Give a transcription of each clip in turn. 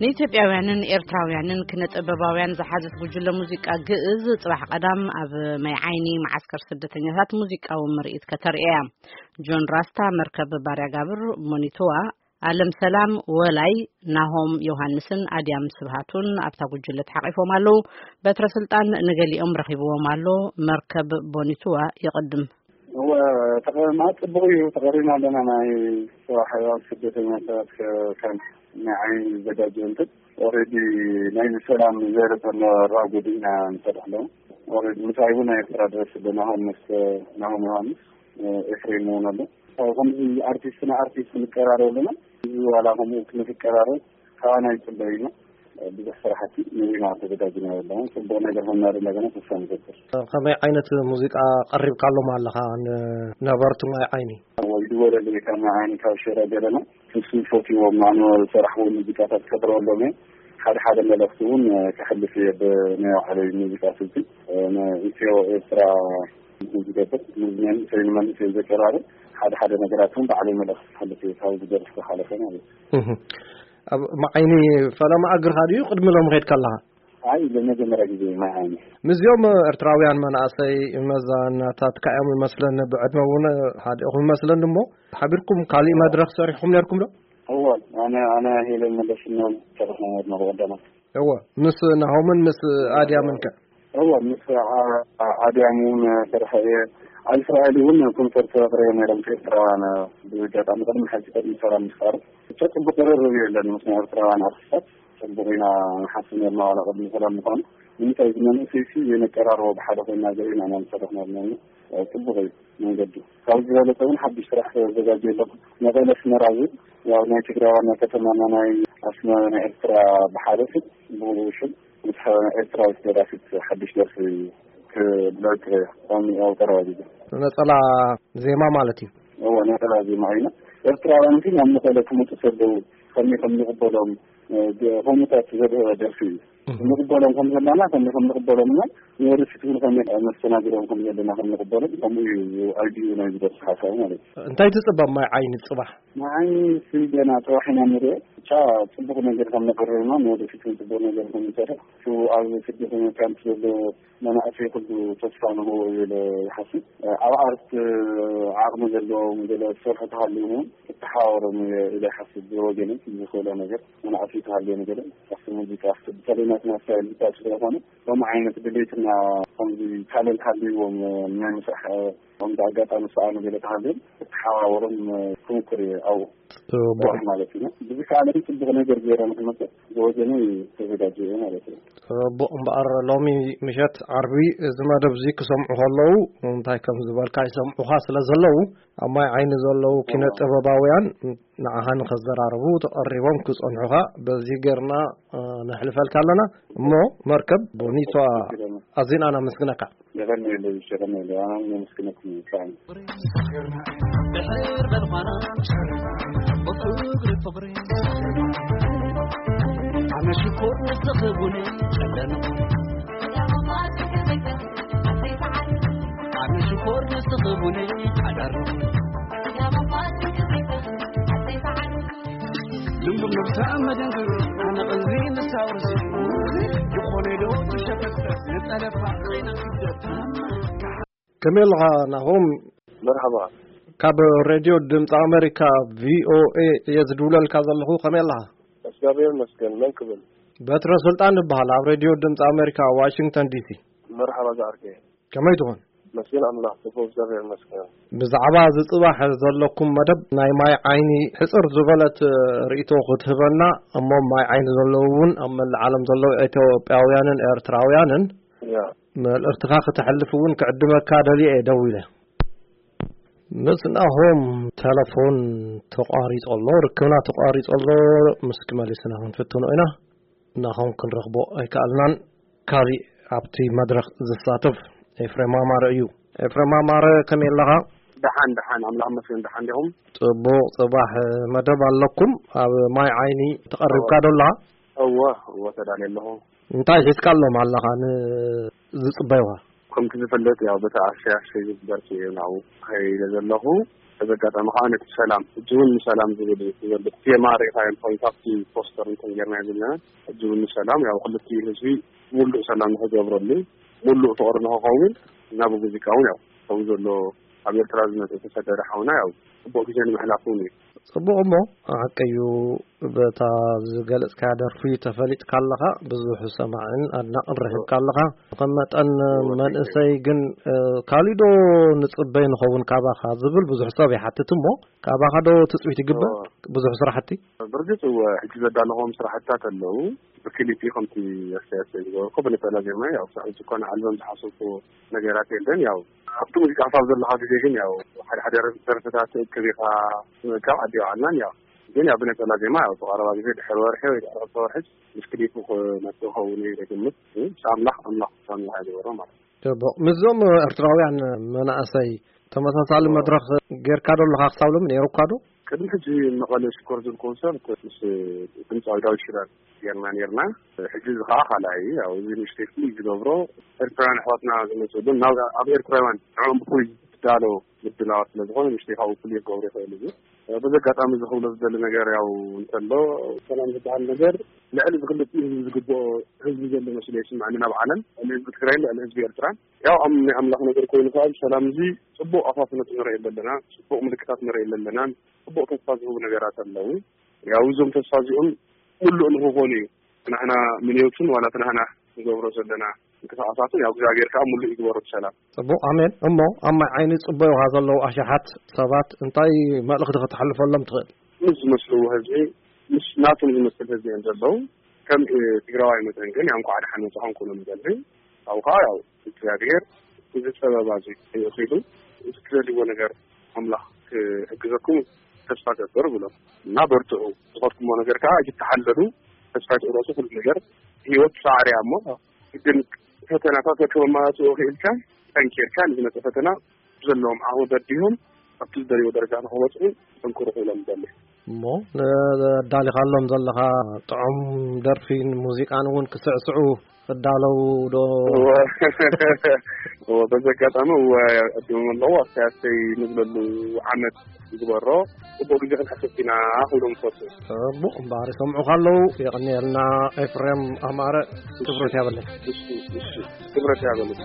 ንኢትዮጵያውያንን ኤርትራውያንን ክነ ጥበባውያን ዝሓዘት ጉጅለ ሙዚቃ ግእዝ ጽባሕ ቀዳም ኣብ ማይ ዓይኒ መዓስከር ስደተኛታት ሙዚቃዊ ምርኢት ከተርእያ። ጆን ራስታ፣ መርከብ ባርያ ጋብር፣ ሞኒትዋ፣ ኣለም ሰላም፣ ወላይ፣ ናሆም ዮሃንስን ኣድያም ስብሃቱን ኣብታ ጉጅለ ተሓቒፎም ኣለዉ። በትረ ስልጣን ንገሊኦም ረኺብዎም ኣሎ። መርከብ ቦኒትዋ ይቕድም። እወ፣ ተቐ-፣ ማለት ጽቡቕ እዩ። ተቐሪብና ኣለና። ናይ ጽባሕ ስደተኛታት ከ-፣ ከም ናይ ዓይኒ ዝዘጋጀ እንትን ኦሬዲ ናይ ሰላም ዘረጠና ራጎድ ኢና ንሰርሕ ኣለዉ። ኦሬዲ ምሳይ እውን ናይ ኤርትራ ድረስ ኣሎ። ናሆም ምስ፣ ናሆም ዮሃንስ፣ ኤፍሬም እውን ኣሎ። ከምዚ ኣርቲስት ንኣርቲስት ክንቀራረብ ኣለና። እዚ ዋላ ከምኡ ክንቀራረብ ካባና ይጽበ ኢና። ብዙሕ ስራሕቲ ንሪና ተዘጋጅና ኣለና። ጽቡቕ ነገር ኾንና እንደገና ተስፋ ንገብር። ከመይ ዓይነት ሙዚቃ ቀሪብካሎም ኣለኻ ንነበርቲ ማይ ዓይኒ? ወይ ድወለለይ ካብ ማይ ዓይኒ ካብ ሽረ ገለና። ንሱ ፈትዎም ኣነ ዝሰራሕዎ ሙዚቃታት ከቕርበሎም እየ። ሓደ ሓደ መልእኽቲ እውን ከሕልፍ እየ ብናይ ባዕለይ ሙዚቃ ስልቲ። ንኢትዮ ኤርትራ ዝገብር ንመንእሰይ ንመንእሰይ ዘቀራርብ ሓደ ሓደ ነገራት እውን ባዕለይ መልእኽቲ ክሕልፍ እየ ካብ ዝደርፍ ዝሓለፈ ማለት እዩ። እህ። ኣብ ማዓይኒ ፈለማ እግርኻ ድዩ ቅድሚ ሎም ኸድካ ኣለኻ? ኣይ፣ ለመጀመርያ ግዜ ማዓይኒ። ምስዚኦም ኤርትራውያን መናእሰይ መዛናታትካ እዮም ይመስለኒ፣ ብዕድመ እውን ሓዲእኹም ይመስለኒ። እሞ ሓቢርኩም ካሊእ መድረኽ ሰሪሕኩም ነርኩም ዶ? እወ፣ ኣነ፣ ኣነ ሄለን መለስ እናበልና ሰርሕና ነርና ብቐዳማት። እወ፣ ምስ ናሆምን ምስ ኣድያምን ከ? እወ፣ ምስ ኣ-፣ ኣ-፣ ኣድያም እውን ሰርሐ እየ። ኣብ እስራኤል እውን ኮንሰርት ኣቕሪበ ነይሮም ኤርትራውያን። ብኣጋጣሚ ቅድሚ ሕጂ ቅድሚ ሰላም ምፍጣሩ ብቻ ጽቡቕ ቅርርብ እዩ ኣለኒ ምስ ናይ ኤርትራውያን ኣርቲስታት። ጽቡቕ ኢና ንሓስብ ነርና ዋላ ቅድሚ ሰላም ምዃኑ። ንምንታይ እዚ መንእሰይ ሲ የነቀራርቦ ብሓደ ኮይና ገለ ኢና ንሰርሕ ነርና። ጽቡቕ እዩ መንገዱ። ካብዚ ዝበለጸ እውን ሓድሽ ስራሕ ተዘጋጅዩ ኣለኹ። መቐለ ኣስመራ ዝብል ያው ናይ ትግራይ ዋና ከተማና ናይ ኣስመራ ናይ ኤርትራ ብሓደ ስም ብኡ ሽም ምስ ኤርትራዊት ደራሲት ሓድሽ ደርፊ ክብለክ ከም ያው ቀረባ ግዜ። ነጸላ ዜማ ማለት እዩ። እወ፣ ነጸላ ዜማ እዩ። ኤርትራውያን ግን ናብ መቐለ ክመጹ ከለዉ ከመይ ከም ንቕበሎም፣ እ፣ ሆሞታት ዘድሀበ ደርፊ እዩ። እህ። ንቕበሎም ከም ዘለና፣ ከመይ ከም ንቕበሎም እና ንወደፊት እውን ከመይ መስተናግዶም ከም ዘለና ከም ንቕበሎም፣ ከምኡ እዩ ኣይዲኡ ናይ ዝደርፊ ሓሳቡ ማለት እዩ። እንታይ ትጽበ ማይ ዓይኒ ጽባሕ? ማይ ዓይኒ ሲ ገና ጽባሕ ኢና ንሪኦ። ብቻ ጽቡቕ ነገር ከም ነቕርብ እና ንወደፊት እውን ጽቡቕ ነገር ከም ንሰርሕ፣ እቲ ኣብ ስደተኛ ካምፕ ዘሎ መናእሰይ ኩሉ ተስፋ ንህቦ እዩ ኢለ ይሓስብ። ኣብ ኣርት ዓቕሚ ዘለዎም ገለ ዝሰርሑ ተሃልዮም እውን ክተሓባበሮም እየ ኢለ ይሓስብ። ብወገነይ ዝኽእሎ ነገር መናእሰይ ተሃልዮም ገለ ኣብቲ ሙዚቃ፣ ኣብቲ በተለይ ናትና ስታይል ብቻ ስለዝኾነ ከምኡ ዓይነት ድሌትና ከምዚ ታለንት ሃልይዎም ናይ ምስራሕ ከምዚ ኣጋጣሚ ዝሰኣኑ ገለ ተሃልዮም ክተሓባበሮም ክምኩር እየ ኣብኡ። ጽቡቕ። ጽቡቕ ማለት እዩ። ብዝከኣለ ጽቡቕ ነገር ገይረ ንክመጽእ ብወገነይ ተዘጋጅየ እየ ማለት እዩ። ጽቡቕ እምበኣር ሎሚ ምሸት ዓርቢ እዚ መደብ እዚ ክሰምዑ ከለዉ እንታይ ከም ዝበልካ ይሰምዑኻ ስለ ዘለዉ ኣብ ማይ ዓይኒ ዘለዉ ኪነ ጥበባውያን ንዓኻ ንኸዘራርቡ ተቐሪቦም ክጸንሑኻ በዚ ጌርና፣ እ፣ ነሕልፈልካ ኣለና። እሞ መርከብ ቦኒቷ ኣዚና ነመስግነካ። የቐንየለይ፣ የቐንየለይ። ኣነ እውን የመስግነኩም ብጣዕሚ። ድሕር በልኳና ብፍቅሪ ፍቅሪ ኣነ ሽኮር ንስኺ ቡነይ ጨለኑ ኣነ ሽኮር ንስኺ ቡነይ ሓዳር ልምቡር ነብሳ መደንግር ኣነ ቐልቢ ንሳውርሲ ዝኾነ ዶ ትሸፈት ንጠለፋ ኸይነ ስደት ከመይ ኣለኻ ናሆም? መርሓባ። ካብ ሬድዮ ድምፂ ኣሜሪካ ቪኦኤ እየ ዝድውለልካ ዘለኹ። ከመይ ኣለኻ? እግዚኣብሔር ይመስገን። መን ክብል? በትረ ስልጣን እበሃል፣ ኣብ ሬድዮ ድምፂ ኣሜሪካ ዋሽንግተን ዲሲ። መርሓባ ዝዓርከይ። ከመይ ትኾን? መስገን ኣምላኽ፣ ጽቡቕ እግዚኣብሔር ይመስገን። ብዛዕባ እዚ ጽባሕ ዘለኩም መደብ ናይ ማይ ዓይኒ ሕጽር ዝበለት ርእይቶ ክትህበና፣ እሞ ማይ ዓይኒ ዘለዉ እውን ኣብ መላእ ዓለም ዘለዉ ኢትዮጵያውያንን ኤርትራውያንን ያ። መልእኽትኻ ክተሕልፍ እውን ክዕድመካ ደልየ እየ ደዊለ። ምስ ናሆም ተለፎን ተቋሪጹ ኣሎ፣ ርክብና ተቋሪጹ ኣሎ። ምስኪ መሊስና ክንፍትኖ ኢና። ናሆም ክንረኽቦ ኣይከኣልናን። ካሊእ ኣብቲ መድረኽ ዝሳተፍ ኤፍሬም ኣማረ እዩ። ኤፍሬም ኣማረ፣ ከመይ ኣለኻ? ደሓን፣ ደሓን፣ ኣምላኽ ይመስገን፣ ደሓን ዲኹም? ጽቡቕ፣ ጽባሕ መደብ ኣለኩም። ኣብ ማይ ዓይኒ ተቐሪብካ ዶ ኣለኻ? እወ፣ እወ፣ ተዳልየ ኣለኹ። እንታይ ሒዝካሎም ኣለኻ ንዝጽበዩኻ? ከምቲ ዝፍለጥ፣ ያው፣ በታ ኣሸይ ኣሸይ ዝብል ደርፊ እየ ናብኡ ከይደ ዘለኹ። በዚ ኣጋጣሚ ከዓ ነቲ ሰላም፣ ሕጂ እውን ንሰላም ዝብል እዩ ዘሎ ቴማ ርኢኻዮ እንተኾይኑ፣ ካብቲ ፖስተር እንተን ጌርናዮ ዘለና፣ ሕጂ እውን ንሰላም፣ ያው ክልቲኡ ህዝቢ ሙሉእ ሰላም ንክገብረሉ፣ ሙሉእ ፍቕሪ ንክኸውን፣ እና ብሙዚቃ እውን ያው ከምኡ ዘሎ ኣብ ኤርትራ ዝመፀ ተሰደደ ሓውና ያው ፅቡቕ ግዜ ንምሕላፍ እውን እዩ። ጽቡቕ እሞ፣ ሓቂ እዩ። በታ ዝገለጽካያ ደርፊ ተፈሊጥካ ኣለኻ፣ ብዙሕ ሰማዕን ኣድናቕን ረኺብካ ኣለኻ። ከም መጠን እወ፣ መንእሰይ ግን፣ እ፣ ካሊእ ዶ ንጽበይ ንኸውን ካባኻ ዝብል ብዙሕ ሰብ ይሓትት እሞ፣ ካባኻ ዶ ትጽቢት ይግበር? እወ። ብዙሕ ስራሕቲ? ብርግጽ እወ፣ ሕጂ ዘዳለኹዎም ስራሕትታት ኣለዉ። ብክሊፕ ከምቲ ኣስተያየት ዝገበርኩ ብነጸላ ዜማ፣ ያው፣ ሳዕ ዝኾነ ኣልበም ዝሓሰብኩ ነገራት የለን። ያው፣ ኣብቲ ሙዚቃ ክሳብ ዘለኻ ግዜ ግን፣ ያው፣ ሓደ ሓደ ደርፍታት ትእክብ ኢኻ፣ ካብ ዓዲ ይውዓልናን፣ ያው፣ ግን ያው ብነጸላ ዜማ ያው ብቐረባ ግዜ ድሕሪ ወርሒ ወይ ድሕሪ ክልተ ወርሒ ምስ ክሊፑ ክመጽእ ክኸውን እዩ ዝግምት። ምስ ኣምላኽ፣ ኣምላኽ ውሳኔ ይሃብ ይበሮ ማለት እዩ። ጽቡቕ። ምስዞም ኤርትራውያን መናእሰይ ተመሳሳሊ እዎ። መድረኽ ጌርካ ዶ ኣለኻ ክሳብ ሎሚ? ነይሩካ ዶ? ቅድሚ ሕጂ መቐለ ሽኮር ዝብል ኮንሰርት ምስ ድምጻዊ ዳዊት ሽራር ጌርና ኔርና። ሕጂ እዚ ኸዓ ካልኣይ እዩ። ያው እዚ ንእሽተይ ፍሉይ ዝገብሮ ኤርትራውያን ኣሕዋትና ዝመጽእሉ ናብ ኣብ ኤርትራውያን ንዕኦም ብፍሉይ ዝዳሎ ምድላዋት ስለ ዝኾነ ንእሽተይ ካብኡ ፍሉይ ክገብሮ ይኽእል እዩ። በዚ ኣጋጣሚ እዚ ክብሎ ዝደሊ ነገር ያው እንተሎ፣ ሰላም ዝበሃል ነገር ልዕሊ እዚ ክልቲኡ ህዝቢ ዝግብኦ ህዝቢ ዘሎ መስሎ ይስምዐኒ ናብ ዓለም፣ ልዕሊ ህዝቢ ትግራይን ልዕሊ ህዝቢ ኤርትራን። ያው ኣም-፣ ናይ ኣምላኽ ነገር ኮይኑ ከዓ ሰላም እዚ ጽቡቕ ኣፋፍነት ንርኢ ኣለና፣ ጽቡቕ ምልክታት ንርኢ ኣለና፣ ጽቡቕ ተስፋ ዝህቡ ነገራት ኣለዉ። ያው እዞም ተስፋ እዚኦም ምሉእ ንክኾኑ እዩ ናህና ምንዮትን ዋላ እቲ ናህና ንገብሮ ዘለና ምንቅስቓሳትን ያው እግዚኣብሔር ከዓ ምሉእ ይግበሮ ብሰላም። ጽቡቕ፣ ኣሜን። እሞ ኣብ ማይ ዓይኒ ጽበዩኻ ዘለዉ ኣሽሓት ሰባት እንታይ መልእኽቲ ከተሕልፈሎም ትኽእል? ምስ ዝመስልዎ ህዝቢ፣ ምስ ናቶም ዝመስል ህዝቢ እዮም ዘለዉ። ከም፣ እ፣ ትግራዋይ መጠን ግን ያው እንኳዕ ደሓን መጻኹም ክብሎም ይደሊ። ካብኡ ከዓ ያው እግዚኣብሔር እዚ ጸበባ እዚ ይእኽሉ፣ እዚ ትደልይዎ ነገር ኣምላኽ ክሕግዘኩም ተስፋ ገብር ብሎም እና በርትዑ። ዝኸድኩሞ ነገር ከዓ ኣይትተሓለሉ፣ ተስፋ ኣይትቑረፁ። ኩሉ ነገር ህይወት ጻዕሪ እያ እሞ ግን ፈተናታት ከመማላስኦ ክኢልካ ጠንኪርካ ንዝመፀ ፈተና ዘለዎም ዓቕሚ በዲሆም ኣብቲ ዝደልይዎ ደረጃ ንክበፅሑ ጠንክሩ ክብሎም ይደሊ። እሞ ንዳሊኻሎም ዘለኻ ጥዑም ደርፊን ሙዚቃን እውን ክስዕስዑ ክዳለዉ ዶ? እወ። እወ፣ በዚ ኣጋጣሚ እወ፣ ዕድሞም ኣለዉ። ኣስተያየተይ ንብለሉ ዓመት ይግበሮ። ጽቡቕ ግዜ ክንሓስብ ኢና ክብሎም ይፈቱ። ጽቡቕ እምበኣር ይሰምዑኻ ኣለዉ። የቐንየልና ኤፍሬም ኣማረ። ክብረት ያበለይ። እሺ፣ እሺ። ክብረት ያበለይ።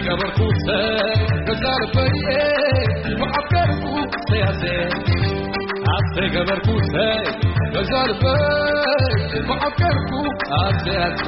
ገበርኩ ሰይ ገዛ ልበይ ብዓቀርኩ ሰያዘ ኣሰይ ገበርኩ ሰይ ገዛ ልበይ ብዓቀርኩ ኣሰያዘ